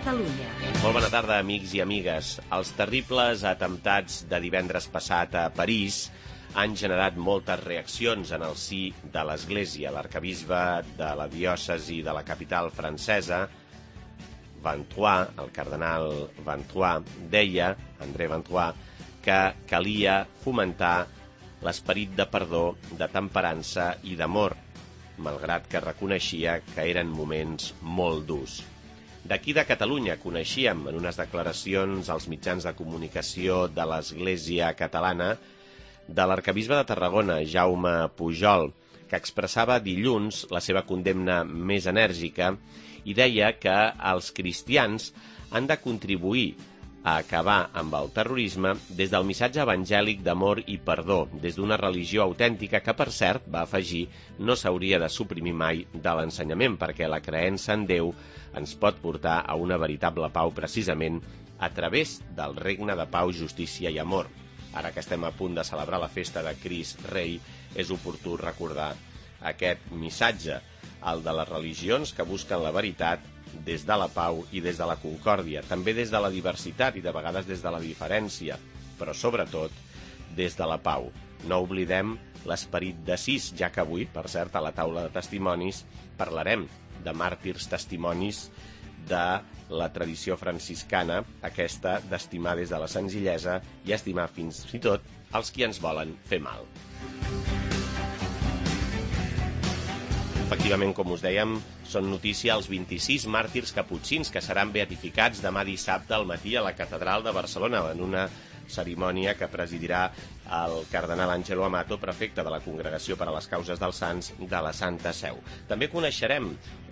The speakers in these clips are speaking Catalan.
Catalunya. Molt bona tarda, amics i amigues. Els terribles atemptats de divendres passat a París han generat moltes reaccions en el si de l'Església. L'arcabisbe de la diòcesi de la capital francesa, Vantois, el cardenal Vantois, deia, André Vantois, que calia fomentar l'esperit de perdó, de temperança i d'amor, malgrat que reconeixia que eren moments molt durs. D'aquí de Catalunya coneixíem en unes declaracions als mitjans de comunicació de l'Església catalana de l'arcabisbe de Tarragona, Jaume Pujol, que expressava dilluns la seva condemna més enèrgica i deia que els cristians han de contribuir a acabar amb el terrorisme des del missatge evangèlic d'amor i perdó, des d'una religió autèntica que, per cert, va afegir, no s'hauria de suprimir mai de l'ensenyament, perquè la creença en Déu ens pot portar a una veritable pau precisament a través del regne de pau, justícia i amor. Ara que estem a punt de celebrar la festa de Crist Rei, és oportú recordar aquest missatge, el de les religions que busquen la veritat des de la pau i des de la concòrdia, també des de la diversitat i de vegades des de la diferència, però sobretot des de la pau. No oblidem l'esperit d'Assís, ja que avui, per cert, a la taula de testimonis parlarem de màrtirs testimonis de la tradició franciscana, aquesta d'estimar des de la senzillesa i estimar fins i tot els qui ens volen fer mal. Efectivament, com us dèiem, són notícia els 26 màrtirs caputxins que seran beatificats demà dissabte al matí a la Catedral de Barcelona en una cerimònia que presidirà el cardenal Àngelo Amato, prefecte de la Congregació per a les Causes dels Sants de la Santa Seu. També coneixerem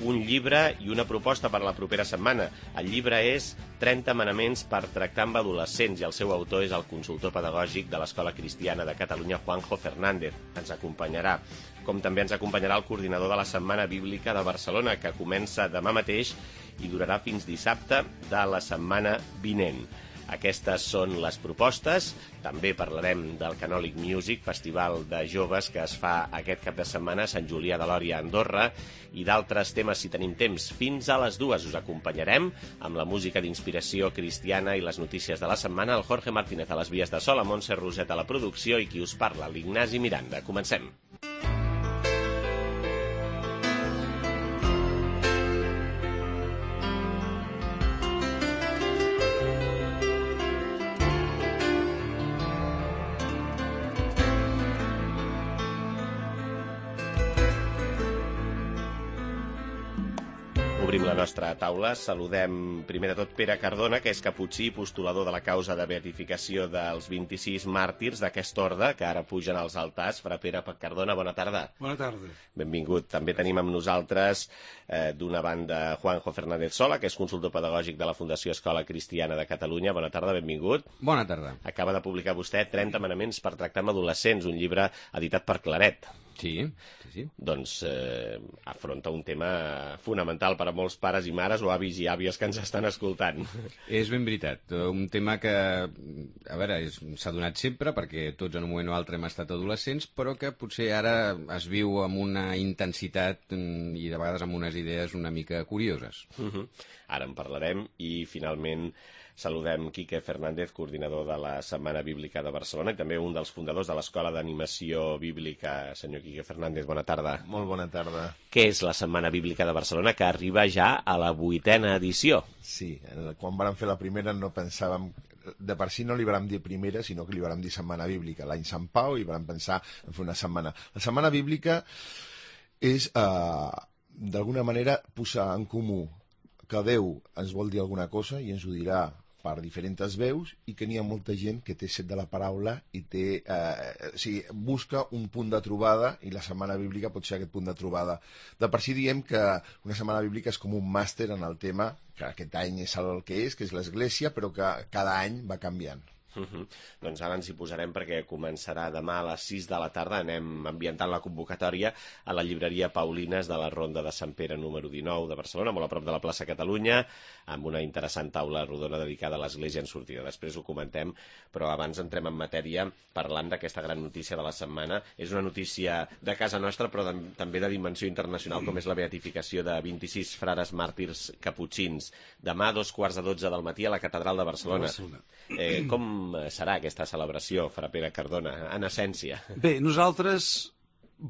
un llibre i una proposta per a la propera setmana. El llibre és 30 manaments per tractar amb adolescents i el seu autor és el consultor pedagògic de l'Escola Cristiana de Catalunya, Juanjo Fernández. Ens acompanyarà. Com també ens acompanyarà el coordinador de la Setmana Bíblica de Barcelona, que comença demà mateix i durarà fins dissabte de la setmana vinent. Aquestes són les propostes. També parlarem del Canòlic Music, festival de joves que es fa aquest cap de setmana a Sant Julià de Lòria, a Andorra, i d'altres temes si tenim temps. Fins a les 2 us acompanyarem amb la música d'inspiració cristiana i les notícies de la setmana. El Jorge Martínez a les vies de so, la Montse Roset a la producció i qui us parla, l'Ignasi Miranda. Comencem. Obrim la nostra taula. Saludem primer de tot Pere Cardona, que és caputxí i postulador de la causa de beatificació dels 26 màrtirs d'aquest orde, que ara pugen als altars. Fra Pere Cardona, bona tarda. Bona tarda. Benvingut. També tenim amb nosaltres, d'una banda, Juanjo Fernández Sola, que és consultor pedagògic de la Fundació Escola Cristiana de Catalunya. Bona tarda, benvingut. Bona tarda. Acaba de publicar vostè 30 manaments per tractar amb adolescents, un llibre editat per Claret. Sí. Doncs afronta un tema fonamental per a molts pares i mares o avis i àvies que ens estan escoltant. És ben veritat. Un tema que, a veure, s'ha donat sempre, perquè tots en un moment o altre hem estat adolescents, però que potser ara es viu amb una intensitat i de vegades amb unes idees una mica curioses. Ara en parlarem i finalment saludem Quique Fernández, coordinador de la Setmana Bíblica de Barcelona i també un dels fundadors de l'Escola d'Animació Bíblica. Senyor Quique Fernández, bona tarda. Molt bona tarda. Què és la Setmana Bíblica de Barcelona, que arriba ja a la 8ª edició? Sí, quan vam fer la primera no pensàvem, de per si no li vam dir primera, sinó que li vam dir Setmana Bíblica. L'any Sant Pau i vam pensar en fer una setmana. La Setmana Bíblica és, d'alguna manera, posar en comú que Déu ens vol dir alguna cosa i ens ho dirà per diferents veus i que n'hi ha molta gent que té set de la paraula i té, busca un punt de trobada i la Setmana Bíblica pot ser aquest punt de trobada. De per si diem que una Setmana Bíblica és com un màster en el tema, que aquest any és el que és l'Església, però que cada any va canviant. Doncs ara ens hi posarem perquè començarà demà a les 6 de la tarda. Anem ambientant la convocatòria a la llibreria Paulines de la Ronda de Sant Pere número 19 de Barcelona, molt a prop de la plaça Catalunya, amb una interessant taula rodona dedicada a l'Església en sortida. Després ho comentem, però abans entrem en matèria parlant d'aquesta gran notícia de la setmana. És una notícia de casa nostra, però també de dimensió internacional, com és la beatificació de 26 frares màrtirs caputxins. Demà a 2:15 del matí a la Catedral de Barcelona. Com serà aquesta celebració, Fra Pere Cardona, en essència? Bé, nosaltres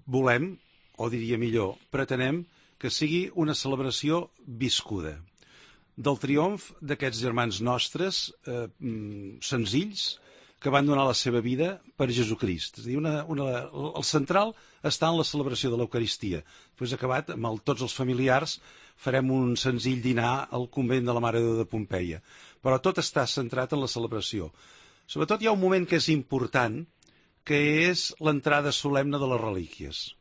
volem, o diria millor, pretenem que sigui una celebració viscuda del triomf d'aquests germans nostres senzills que van donar la seva vida per Jesucrist. És a dir, el central està en la celebració de l'Eucaristia. Després acabat, amb tots els familiars, farem un senzill dinar al convent de la Mare de Déu de Pompeia. Però tot està centrat en la celebració. Sobretot hi ha un moment que és important, que és l'entrada solemne de les relíquies,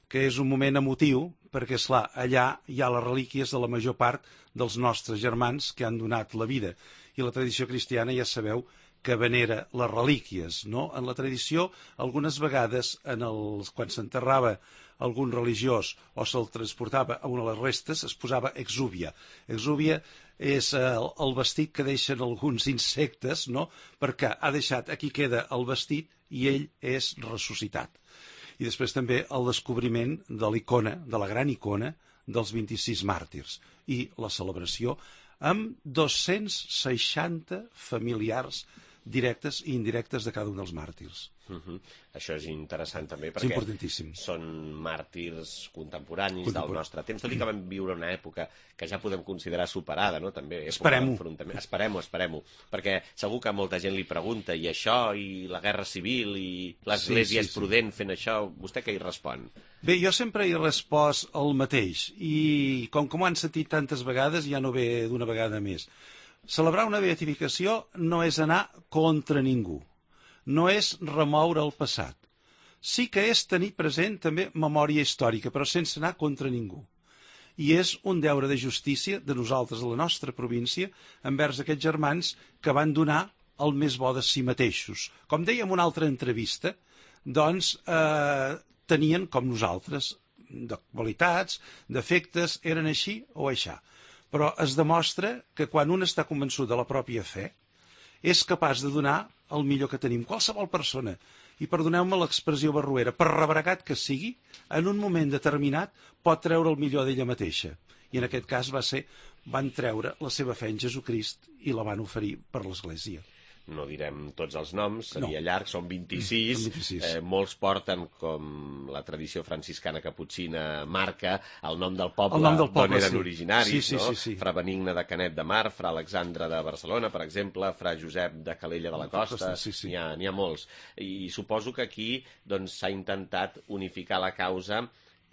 que és un moment emotiu, perquè, esclar, allà hi ha les relíquies de la major part dels nostres germans que han donat la vida. I la tradició cristiana ja sabeu que venera les relíquies, no? En la tradició, algunes vegades, quan s'enterrava algun religiós o se'l transportava a una de les restes, es posava exúvia. Exúvia és el vestit que deixen alguns insectes, no? Perquè ha deixat, aquí queda el vestit i ell és ressuscitat. I després també el descobriment de l'icona, de la gran icona dels 26 màrtirs i la celebració amb 260 familiars directes i indirectes de cada un dels màrtirs. Això és interessant també És perquè importantíssim. són màrtirs contemporanis del nostre temps, tot i que vam viure una època que ja podem considerar superada, no? També Esperem-ho. Esperem-ho, perquè segur que molta gent li pregunta i això, i la guerra civil, i l'Església és prudent fent això, vostè què hi respon? Bé, jo sempre he respost el mateix, i com que m'ho han sentit tantes vegades, ja no ve d'una vegada més. Celebrar una beatificació no és anar contra ningú, no és remoure el passat. Sí que és tenir present també memòria històrica, però sense anar contra ningú. I és un deure de justícia de nosaltres, de la nostra província, envers aquests germans que van donar el més bo de si mateixos. Com deia en una altra entrevista, doncs tenien, com nosaltres, de qualitats, defectes, eren així o aixà. Però es demostra que quan un està convençut de la pròpia fe, és capaç de donar el millor que tenim. Qualsevol persona, i perdoneu-me l'expressió barruera, per rebregat que sigui, en un moment determinat pot treure el millor d'ella mateixa. I en aquest cas van treure la seva fe en Jesucrist i la van oferir per l'Església. No direm tots els noms, seria llarg, són 26. 26. Molts porten, com la tradició franciscana caputxina marca, el nom del poble, d'on eren originaris, no? Fra Benigne de Canet de Mar, Fra Alexandre de Barcelona, per exemple, Fra Josep de Calella de la Costa, n'hi ha molts. I suposo que aquí s'ha intentat unificar la causa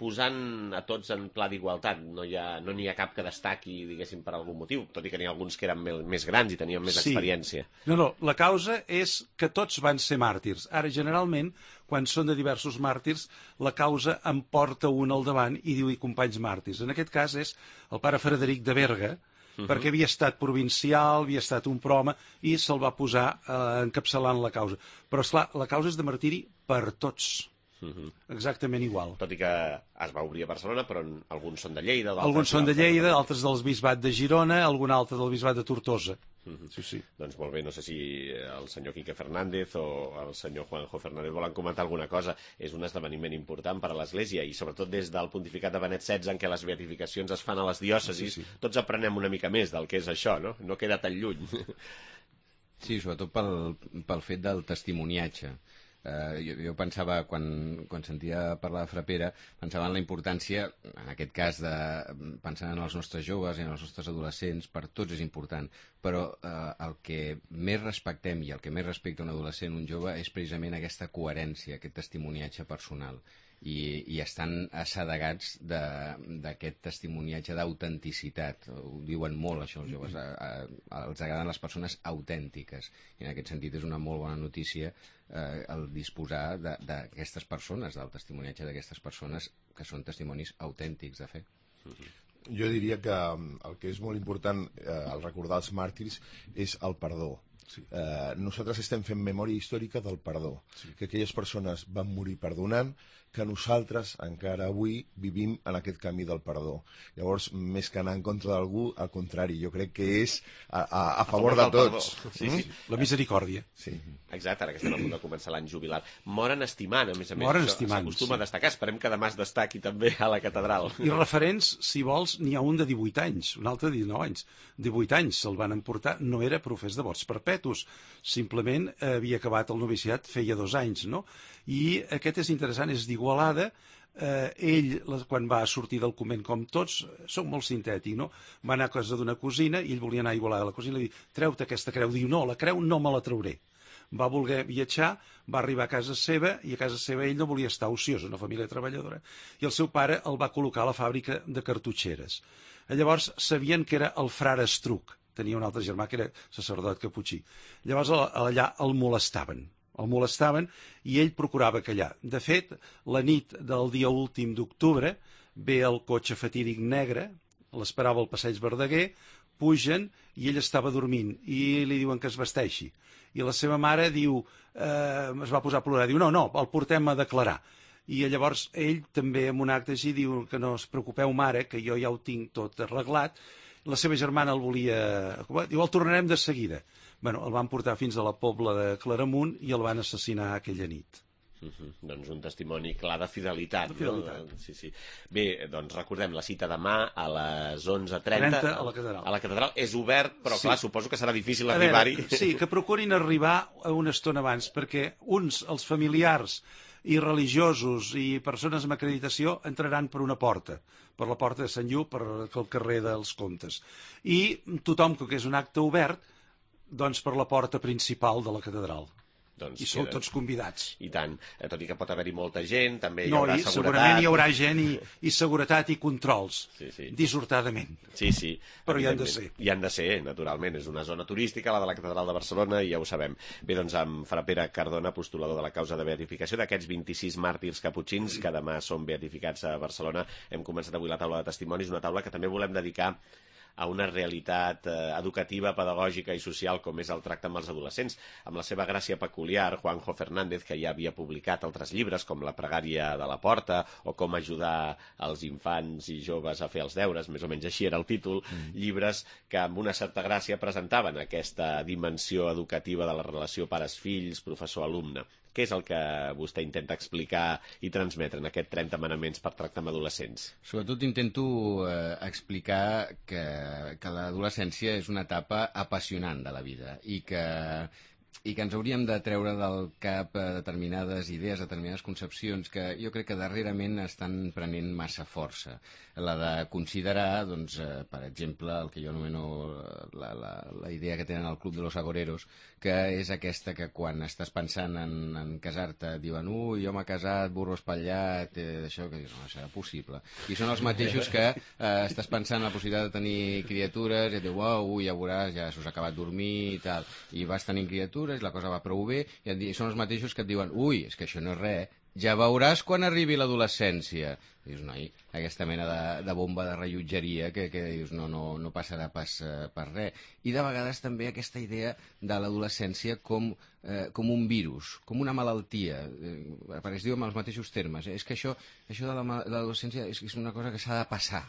posant a tots en pla d'igualtat. No n'hi ha cap que destaqui, diguéssim, per algun motiu, tot i que n'hi ha alguns que eren més grans i tenien més experiència. No, la causa és que tots van ser màrtirs. Ara, generalment, quan són de diversos màrtirs, la causa en porta un al davant i diu companys màrtirs. En aquest cas és el pare Frederic de Berga, perquè havia estat provincial, havia estat un prome, i se'l va posar encapçalant la causa. Però, esclar, la causa és de martiri per tots. Exactament igual. Tot i que es va obrir a Barcelona, però alguns són de Lleida. Alguns són de Lleida, altres del bisbat de Girona, algun altre del bisbat de Tortosa. Doncs molt bé, no sé si el senyor Quique Fernández o el senyor Juanjo Fernández volen comentar alguna cosa. És un esdeveniment important per a l'Església i sobretot des del pontificat de Benet XVI, en què les beatificacions es fan a les diòcesis, tots aprenem una mica més del que és això, no? No queda tan lluny. Sí, sobretot pel fet del testimoniatge. Jo pensava, quan sentia parlar de Fra Pere, pensava en la importància, en aquest cas, pensant en els nostres joves i en els nostres adolescents, per tots és important, però el que més respectem i el que més respecta un adolescent, un jove, és precisament aquesta coherència, aquest testimoniatge personal. I estan assedegats d'aquest testimoniatge d'autenticitat. Ho diuen molt, això, els joves. Els agraden les persones autèntiques. I en aquest sentit és una molt bona notícia el disposar d'aquestes persones, del testimoniatge d'aquestes persones que són testimonis autèntics de fe. Jo diria que el que és molt important al recordar els màrtirs és el perdó. Sí. Nosaltres estem fent memòria històrica del perdó, que aquelles persones van morir perdonant, que nosaltres encara avui vivim en aquest camí del perdó. Llavors, més que anar en contra d'algú, al contrari, jo crec que és a favor de tots. Sí, sí. La misericòrdia. Sí. Exacte, ara que estem a punt de començar l'any jubilar. Moren estimant, a més. Moren Això estimant, s'acostuma sí. a destacar. Esperem que demà es destaqui també a la catedral. I referents, si vols, n'hi ha un de 18 anys, un altre de 19 anys. 18 anys se'l van emportar, no era profès de vots perpetus, simplement havia acabat el noviciat feia 2 anys, no? I aquest és interessant, és d'Igualada. Ell, quan va sortir del convent, com tots, soc molt sintètic, no? Va anar a casa d'una cosina i ell volia anar a Igualada a la cosina i li diu, treu-te aquesta creu. Diu, no, la creu no me la trauré. Va voler viatjar, va arribar a casa seva i a casa seva ell no volia estar ociós, una família treballadora, i el seu pare el va col·locar a la fàbrica de cartutxeres. Llavors sabien que era el frare Estruc, tenia un altre germà que era sacerdot caputxí. Llavors allà el molestaven i ell procurava callar. De fet, la nit del dia últim d'octubre ve el cotxe fatídic negre, l'esperava al passeig Verdaguer, pugen i ell estava dormint i li diuen que es vesteixi. I la seva mare diu, es va posar a plorar, diu, no, el portem a declarar. I llavors ell també en un acte així diu que no us preocupeu mare, que jo ja ho tinc tot arreglat. La seva germana el volia... Diu, el tornarem de seguida. Bueno, el van portar fins a la Pobla de Claramunt i el van assassinar aquella nit. Doncs un testimoni clar de fidelitat. De fidelitat. No? Sí. Bé, doncs recordem la cita demà a les 11:30 a la catedral. A la catedral és obert, però Sí. clar, suposo que serà difícil A veure, arribar-hi. sí, que procurin arribar una estona abans, perquè els familiars i religiosos i persones amb acreditació entraran per una porta, per la porta de Sant Lluc, per el carrer dels Comtes. I tothom, que és un acte obert, doncs per la porta principal de la catedral. Doncs I sou tots convidats. I tant, tot i que pot haver-hi molta gent, també hi No, haurà i seguretat. segurament hi haurà gent i seguretat i controls, Sí. dissortadament. Sí. Però hi han de evidentment. ser. Hi han de ser, naturalment. És una zona turística, la de la Catedral de Barcelona, i ja ho sabem. Bé, doncs, amb Fra Pere Cardona, postulador de la causa de beatificació d'aquests 26 màrtirs caputxins que demà són beatificats a Barcelona, hem començat avui la taula de testimonis, una taula que també volem dedicar a una realitat educativa, pedagògica i social com és el tracte amb els adolescents. Amb la seva gràcia peculiar, Juanjo Fernández, que ja havia publicat altres llibres com La pregària de la porta o Com ajudar els infants i joves a fer els deures, més o menys així era el títol, llibres que amb una certa gràcia presentaven aquesta dimensió educativa de la relació pares-fills, professor-alumne. Què és el que vostè intenta explicar i transmetre en aquests 30 manaments per tractar amb adolescents? Sobretot intento explicar que l'adolescència és una etapa apassionant de la vida i que ens hauríem de treure del cap determinades idees, determinades concepcions que jo crec que darrerament estan prenent massa força. La de considerar, doncs, per exemple, el que jo anomeno la idea que tenen al Club de los Agoreros, que és aquesta que quan estàs pensant en casar-te diuen ui, jo m'he casat, burro espatllat, això, que dius, no, serà possible. I són els mateixos que estàs pensant en la possibilitat de tenir criatures i et diu, ui, ja veuràs, ja s'us ha acabat dormir i tal, i vas tenint criatures, la cosa va prou bé, i són els mateixos que et diuen, ui, és que això no és res, ja veuràs quan arribi l'adolescència. Dius, noi, aquesta mena de bomba de rellotgeria que dius, no passarà pas per res. I de vegades també aquesta idea de l'adolescència com un virus, com una malaltia, perquè es diu amb els mateixos termes. És que això de l'adolescència és una cosa que s'ha de passar.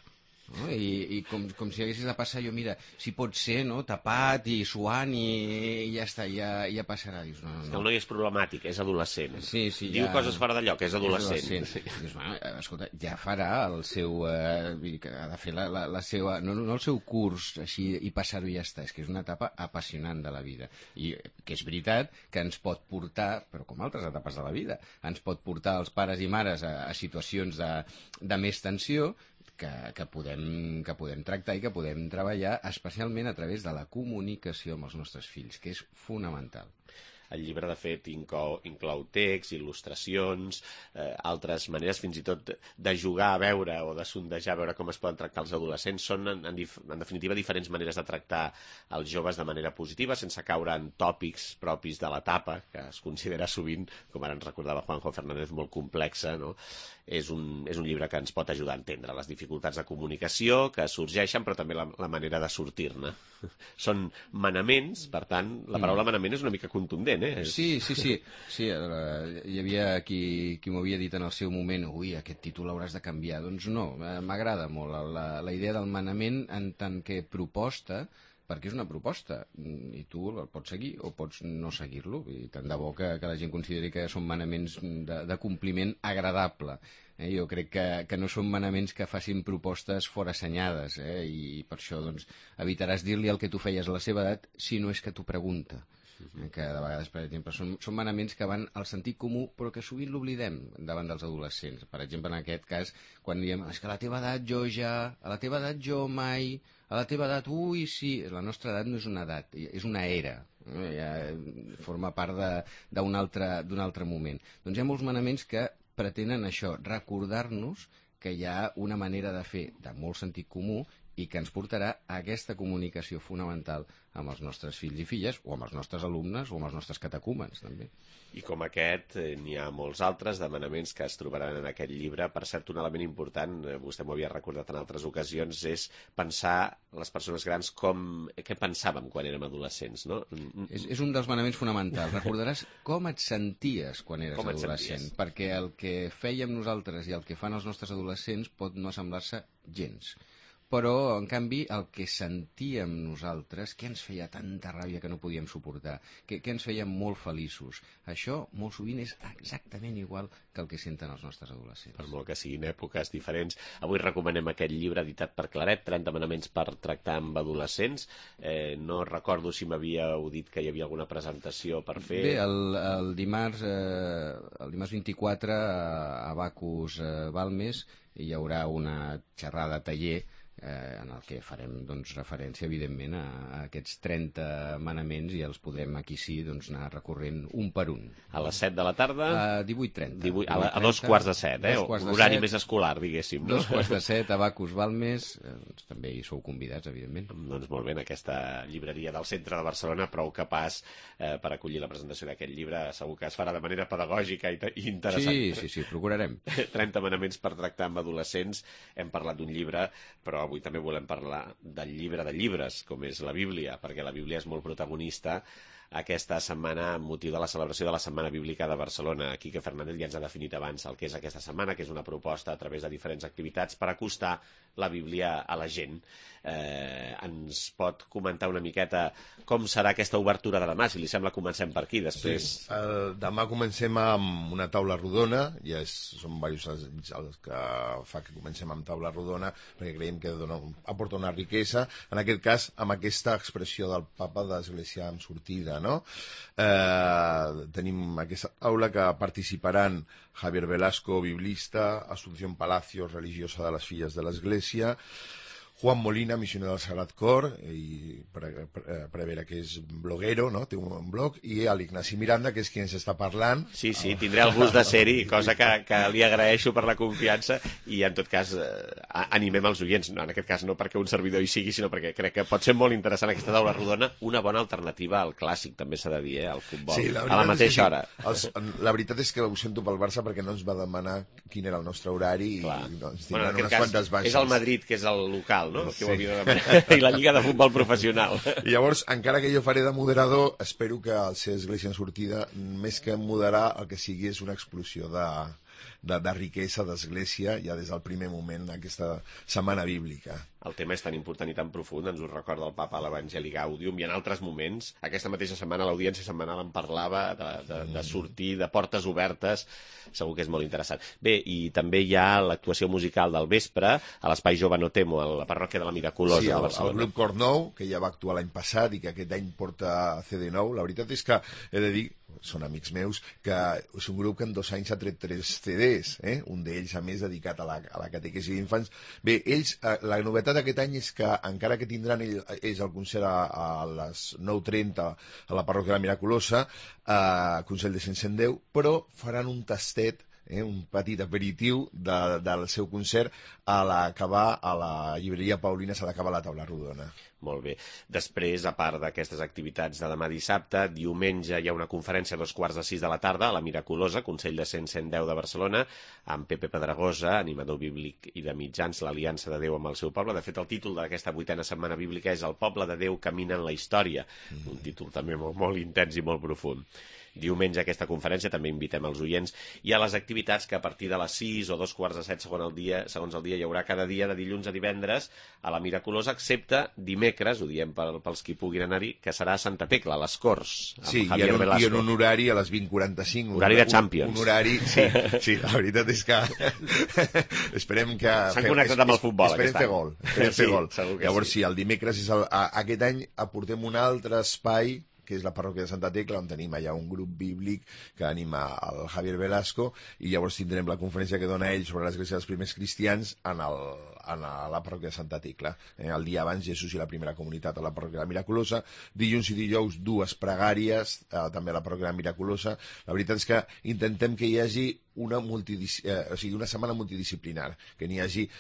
No? I com si haguessis de passar, jo mira, si pot ser, no? Tapat i suant i ja està, ja passarà. Dius, no. El noi és problemàtic, és adolescent. Sí, Diu coses fora de lloc, és adolescent. Sí. Dius, escolta, ja farà el seu... ha de fer la seva... No el seu curs així i passar-ho i ja està. És que és una etapa apassionant de la vida. I que és veritat que ens pot portar, però com altres etapes de la vida, ens pot portar els pares i mares a situacions de més tensió que podem tractar i que podem treballar especialment a través de la comunicació amb els nostres fills, que és fonamental. El llibre, de fet, inclou text, il·lustracions, altres maneres, fins i tot de jugar a veure o de sondejar a veure com es poden tractar els adolescents. Són, en definitiva, diferents maneres de tractar els joves de manera positiva, sense caure en tòpics propis de l'etapa, que es considera sovint, com ara ens recordava Juanjo Fernández, molt complexa, no? És un llibre que ens pot ajudar a entendre les dificultats de comunicació que sorgeixen, però també la manera de sortir-ne. Són manaments, per tant, la paraula manament és una mica contundent, eh? Sí. Hi havia qui m'ho havia dit en el seu moment, ui, aquest títol l'hauràs de canviar. Doncs no, m'agrada molt la idea del manament en tant que proposta, perquè és una proposta, i tu el pots seguir o pots no seguir-lo, i tant de bo que la gent consideri que són manaments de compliment agradable. Jo crec que no són manaments que facin propostes forassenyades, i per això doncs, evitaràs dir-li el que tu feies a la seva edat si no és que t'ho pregunta. Que de vegades, per exemple, són manaments que van al sentit comú, però que sovint l'oblidem davant dels adolescents. Per exemple, en aquest cas, quan diem, és que a la teva edat jo ja, a la teva edat jo mai, a la teva edat, ui, sí, la nostra edat no és una edat, és una era, ja forma part d'un altre moment. Doncs hi ha molts manaments que pretenen això, recordar-nos que hi ha una manera de fer de molt sentit comú i que ens portarà a aquesta comunicació fonamental amb els nostres fills i filles, o amb els nostres alumnes, o amb els nostres catecúmens, també. I com aquest, n'hi ha molts altres de manaments que es trobaran en aquest llibre. Per cert, un element important, vostè m'ho havia recordat en altres ocasions, és pensar les persones grans què pensàvem quan érem adolescents, no? És un dels manaments fonamentals. Recordaràs com et senties quan eres adolescent, perquè el que fèiem nosaltres i el que fan els nostres adolescents pot no assemblar-se gens. Però, en canvi, el que sentíem nosaltres, què ens feia tanta ràbia que no podíem suportar, què ens feia molt feliços, això molt sovint és exactament igual que el que senten els nostres adolescents. Per molt que siguin èpoques diferents. Avui recomanem aquest llibre editat per Claret, 30 manaments per tractar amb adolescents. No recordo si m'havíeu dit que hi havia alguna presentació per fer. Bé, el dimarts 24 a Bacus Balmes hi haurà una xerrada taller en el que farem referència, evidentment, a aquests 30 manaments i els podrem, aquí sí, anar recorrent un per un. A les 7 de la tarda? A 18:30. A 2:45, horari més escolar, diguéssim. 2:45 a Bacus Balmes, també hi sou convidats, evidentment. Doncs molt bé, en aquesta llibreria del centre de Barcelona, prou capaç per acollir la presentació d'aquest llibre. Segur que es farà de manera pedagògica i interessant. Sí, procurarem. 30 manaments per tractar amb adolescents. Hem parlat d'un llibre, però avui també volem parlar del llibre de llibres, com és la Bíblia, perquè la Bíblia és molt protagonista aquesta setmana amb motiu de la celebració de la Setmana Bíblica de Barcelona. Quique Fernández ja ens ha definit abans el que és aquesta setmana, que és una proposta a través de diferents activitats per acostar la Bíblia a la gent. Ens pot comentar una miqueta com serà aquesta obertura de demà? Si li sembla, comencem per aquí, després... Sí. Demà comencem amb una taula rodona, ja són diversos els que fa que comencem amb taula rodona, perquè creiem que aporta una riquesa, en aquest cas amb aquesta expressió del papa d'Església amb sortida, no? Tenim aquesta taula que participaran Javier Velasco, biblista, Asunción Palacios, religiosa de les Filles de l'Església, Juan Molina, missioner del Sagrat Cor, i prevere que és bloguero, no? Té un blog, i l'Ignasi Miranda, que és qui ens està parlant. Sí, tindré el gust de ser-hi, cosa que li agraeixo per la confiança, i en tot cas animem els oients, en aquest cas no perquè un servidor hi sigui, sinó perquè crec que pot ser molt interessant aquesta taula rodona, una bona alternativa al clàssic, també s'ha de dir, al futbol, sí, a la mateixa hora. La veritat és que ho sento pel Barça perquè no ens va demanar quin era el nostre horari, i ens tindran unes quantes baixes. És el Madrid, que és el local, no? Que ho havia de demanar. I la Lliga de Futbol Professional. I llavors, encara que jo faré de moderador, espero que al ser Església en sortida, més que moderar, el que sigui és una explosió de riquesa d'Església ja des del primer moment d'aquesta setmana bíblica. El tema és tan important i tan profund, ens ho recorda el Papa a l'Evangeli Gaudium, i en altres moments, aquesta mateixa setmana l'audiència setmanal en parlava de sortir, de portes obertes, segur que és molt interessant. Bé, i també hi ha l'actuació musical del vespre a l'Espai Jove No Temo, a la parròquia de la Miraculosa de Barcelona. Sí, el grup Cor Nou, que ja va actuar l'any passat i que aquest any porta CD nou. La veritat és que he de dir, són amics meus, que és un grup que en 2 anys ha tret 3 CDs, un d'ells, a més, dedicat a la catequesi d'infants. Bé, ells, la novetat d'aquest any és que, encara que tindran ells el concert a les 9:30 a la parròquia de la Miraculosa, Consell de 110, però faran un tastet, un petit aperitiu del seu concert a l'acabar a la llibreria Paulina, s'ha d'acabar la taula rodona. Molt bé. Després, a part d'aquestes activitats de demà dissabte, diumenge hi ha una conferència a 5:45 de la tarda a la Miraculosa, Consell de 110 de Barcelona, amb Pepe Pedregosa, animador bíblic i de mitjans, l'Aliança de Déu amb el seu poble. De fet, el títol d'aquesta 8a setmana bíblica és El poble de Déu camina en la història, un títol també molt intens i molt profund. Diumenge a aquesta conferència també invitem els oients i a les activitats que a partir de les 6 o 2:45 segons el dia hi haurà cada dia de dilluns a divendres a la Miraculosa, excepte dimecres, ho diem pels qui puguin anar-hi, que serà a Santa Tecla, a les Corts, amb sí, Javier Velasco. I en un horari a les 20:45. Horari de Champions. Un horari, sí, la veritat és que esperem que... S'han connectat amb el futbol esperem fer gol. Llavors, sí, el dimecres és aquest any aportem un altre espai, que és la parròquia de Santa Tecla, on tenim allà un grup bíblic que anima el Javier Velasco, i llavors tindrem la conferència que dona ell sobre l'església dels primers cristians a la parròquia de Santa Tecla. El dia abans, Jesús i la primera comunitat a la parròquia de la Miraculosa. Dilluns i dijous, 2 pregàries, també a la parròquia de la Miraculosa. La veritat és que intentem que hi hagi una setmana multidisciplinar, que n'hi hagi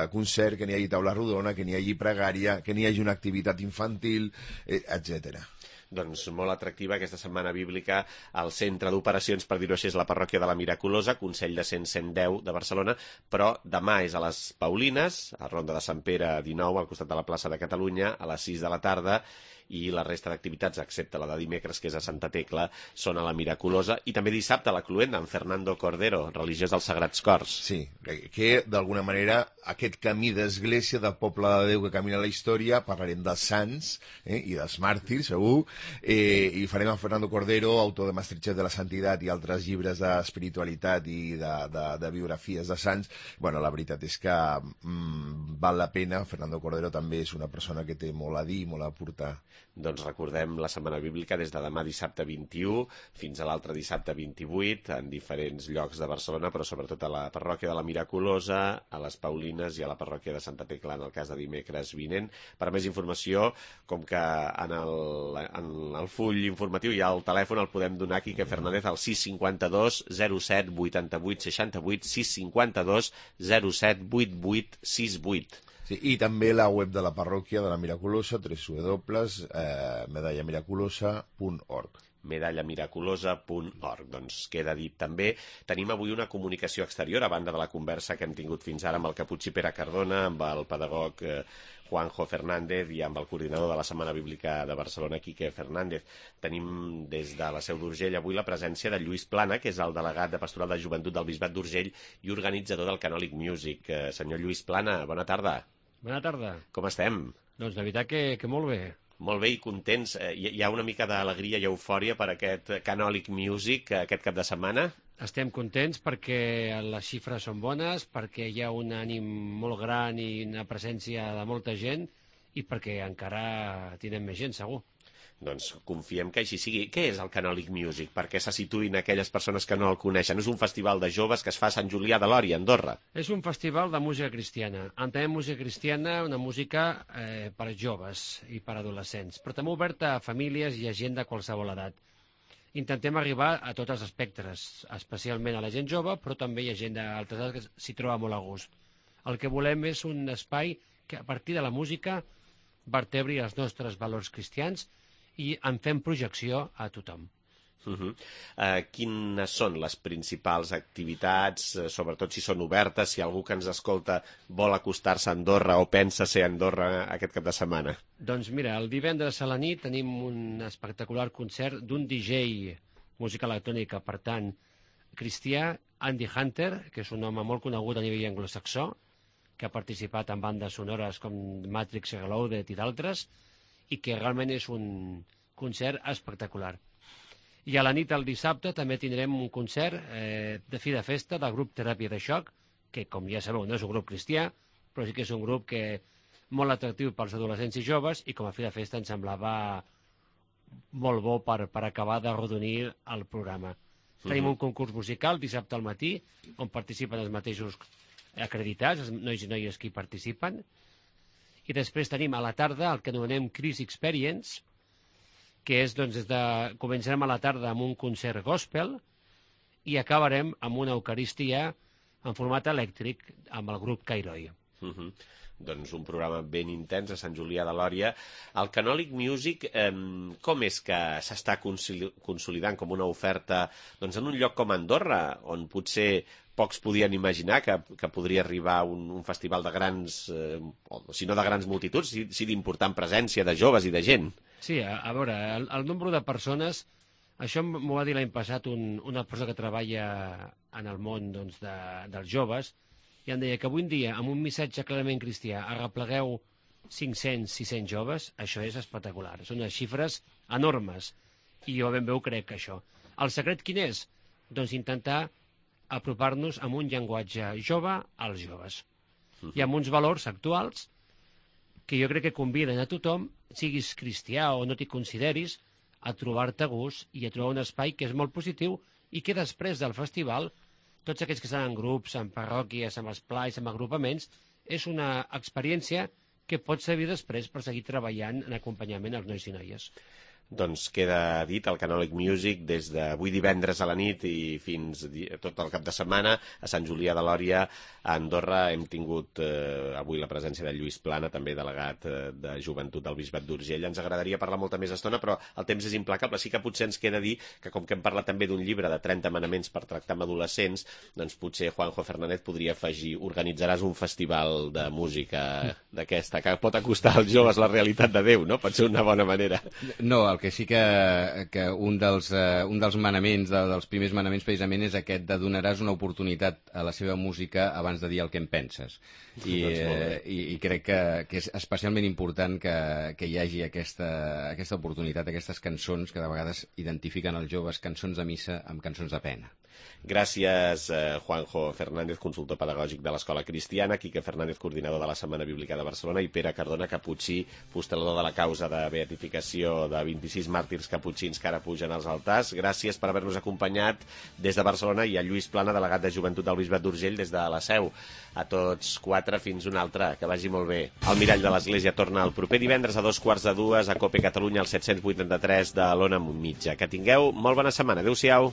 concert, que n'hi hagi taula rodona, que n'hi hagi pregària, que n'hi hagi una activitat infantil, etcètera. Doncs molt atractiva aquesta setmana bíblica al centre d'operacions, per dir-ho així, és la parròquia de la Miraculosa, Consell de 110 de Barcelona, però demà és a les Paulines, a Ronda de Sant Pere 19, al costat de la plaça de Catalunya, a les 6 de la tarda, i la resta d'activitats, excepte la de dimecres, que és a Santa Tecla, són a la Miraculosa, i també dissabte a la Cluenda, amb Fernando Cordero, religiós dels Sagrats Cors. Sí, que d'alguna manera aquest camí d'església, del poble de Déu que camina la història, parlarem dels sants i dels màrtirs, segur, i farem a Fernando Cordero, autor de Masterchef de la Santitat i altres llibres d'espiritualitat i de biografies de sants. Bueno, la veritat és que val la pena. Fernando Cordero també és una persona que té molt a dir, molt a aportar. Doncs recordem la setmana bíblica des de demà dissabte 21 fins a l'altre dissabte 28 en diferents llocs de Barcelona, però sobretot a la parròquia de la Miraculosa, a les Paulines i a la parròquia de Santa Tecla en el cas de dimecres vinent. Per més informació, com que en el full informatiu hi ha el telèfon, el podem donar a Quique Fernández al 652 07 88 68 652 07 88 68. Sí, i també la web de la parròquia de la Miraculosa, www.medallamiraculosa.org. medallamiraculosa.org. Doncs queda dit també. Tenim avui una comunicació exterior, a banda de la conversa que hem tingut fins ara amb el caputxí Pere Cardona, amb el pedagog Juanjo Fernández i amb el coordinador de la Setmana Bíblica de Barcelona, Quique Fernández. Tenim des de la Seu d'Urgell avui la presència de Lluís Plana, que és el delegat de Pastoral de Joventut del Bisbat d'Urgell i organitzador del Canòlic Music. Senyor Lluís Plana, bona tarda. Bona tarda. Com estem? Doncs la veritat que molt bé. Molt bé i contents. Hi ha una mica d'alegria i eufòria per aquest Canòlic Music aquest cap de setmana? Estem contents perquè les xifres són bones, perquè hi ha un ànim molt gran i una presència de molta gent i perquè encara tindrem més gent, segur. Doncs confiem que així sigui. Què és el Canòlic Music? Perquè se situïn aquelles persones que no el coneixen. És un festival de joves que es fa a Sant Julià de Lòria, a Andorra. És un festival de música cristiana. Entenem música cristiana, una música per joves i per adolescents, però també oberta a famílies i a gent de qualsevol edat. Intentem arribar a tots els espectres, especialment a la gent jove, però també hi ha gent d'altres edats que s'hi troba molt a gust. El que volem és un espai que a partir de la música vertebri els nostres valors cristians i en fem projecció a tothom. Quines són les principals activitats, sobretot si són obertes, si algú que ens escolta vol acostar-se a Andorra o pensa ser a Andorra aquest cap de setmana? Doncs mira, el divendres a la nit tenim un espectacular concert d'un DJ, música electrònica, per tant, cristià, Andy Hunter, que és un home molt conegut a nivell anglosaxó, que ha participat en bandes sonores com Matrix Reloaded i d'altres, i que realment és un concert espectacular. I a la nit del dissabte també tindrem un concert de fi de festa del grup Teràpia de Xoc, que, com ja sabeu, no és un grup cristià, però sí que és un grup molt atractiu pels adolescents i joves, i com a fi de festa ens semblava molt bo per acabar de rodonir el programa. Tenim un concurs musical dissabte al matí, on participen els mateixos acreditats, els nois i noies que hi participen. I després tenim a la tarda el que anomenem Chris Experience, que és, doncs, començarem a la tarda amb un concert gospel i acabarem amb una eucaristia en format elèctric amb el grup Cairoi. Doncs un programa ben intens a Sant Julià de Lòria. El Canòlic Music, com és que s'està consolidant com una oferta doncs, en un lloc com Andorra, on potser pocs podien imaginar que podria arribar un festival de grans, si no de grans multituds, si d'important presència de joves i de gent? Sí, a veure, el nombre de persones, això m'ho va dir l'any passat una persona que treballa en el món doncs, dels joves, i em deia que avui en dia, amb un missatge clarament cristià, arreplegueu 500-600 joves, això és espectacular. Són unes xifres enormes, i jo ben bé ho crec, això. El secret quin és? Doncs intentar apropar-nos amb un llenguatge jove als joves. I amb uns valors actuals que jo crec que conviden a tothom, siguis cristià o no t'hi consideris, a trobar-te a gust i a trobar un espai que és molt positiu i que després del festival, tots aquells que estan en grups, en parròquies, en esplais, en agrupaments, és una experiència que pot servir després per seguir treballant en acompanyament als nois i noies. Doncs queda dit el Canòlic Music des d'avui divendres a la nit i fins tot el cap de setmana a Sant Julià de Lòria, a Andorra. Hem tingut avui la presència de Lluís Plana, també delegat de Joventut del Bisbat d'Urgell. Ens agradaria parlar molta més estona, però el temps és implacable. Sí que potser ens queda dir que, com que hem parlat també d'un llibre de 30 manaments per tractar amb adolescents, doncs potser Juanjo Fernández podria afegir: organitzaràs un festival de música d'aquesta, que pot acostar als joves la realitat de Déu, no? Pot ser una bona manera. No, el que sí que un dels manaments, dels primers manaments precisament, és aquest de donaràs una oportunitat a la seva música abans de dir el que en penses. I crec que és especialment important que hi hagi aquesta oportunitat, aquestes cançons que de vegades identifiquen els joves, cançons de missa amb cançons de pena. Gràcies, Juanjo Fernández, consultor pedagògic de l'Escola Cristiana, Quique Fernández, coordinador de la Setmana Bíblica de Barcelona, i Pere Cardona Caputxí, postulador de la causa de beatificació de 26 màrtirs caputxins que ara pugen als altars. Gràcies per haver-nos acompanyat des de Barcelona, i a Lluís Plana, delegat de Joventut del Bisbat d'Urgell, des de la Seu. A tots quatre, fins una altra. Que vagi molt bé. El Mirall de l'Església torna el proper divendres a 2:45 a Cope Catalunya, al 783 de l'Ona Mitja. Que tingueu molt bona setmana. Adéu-siau.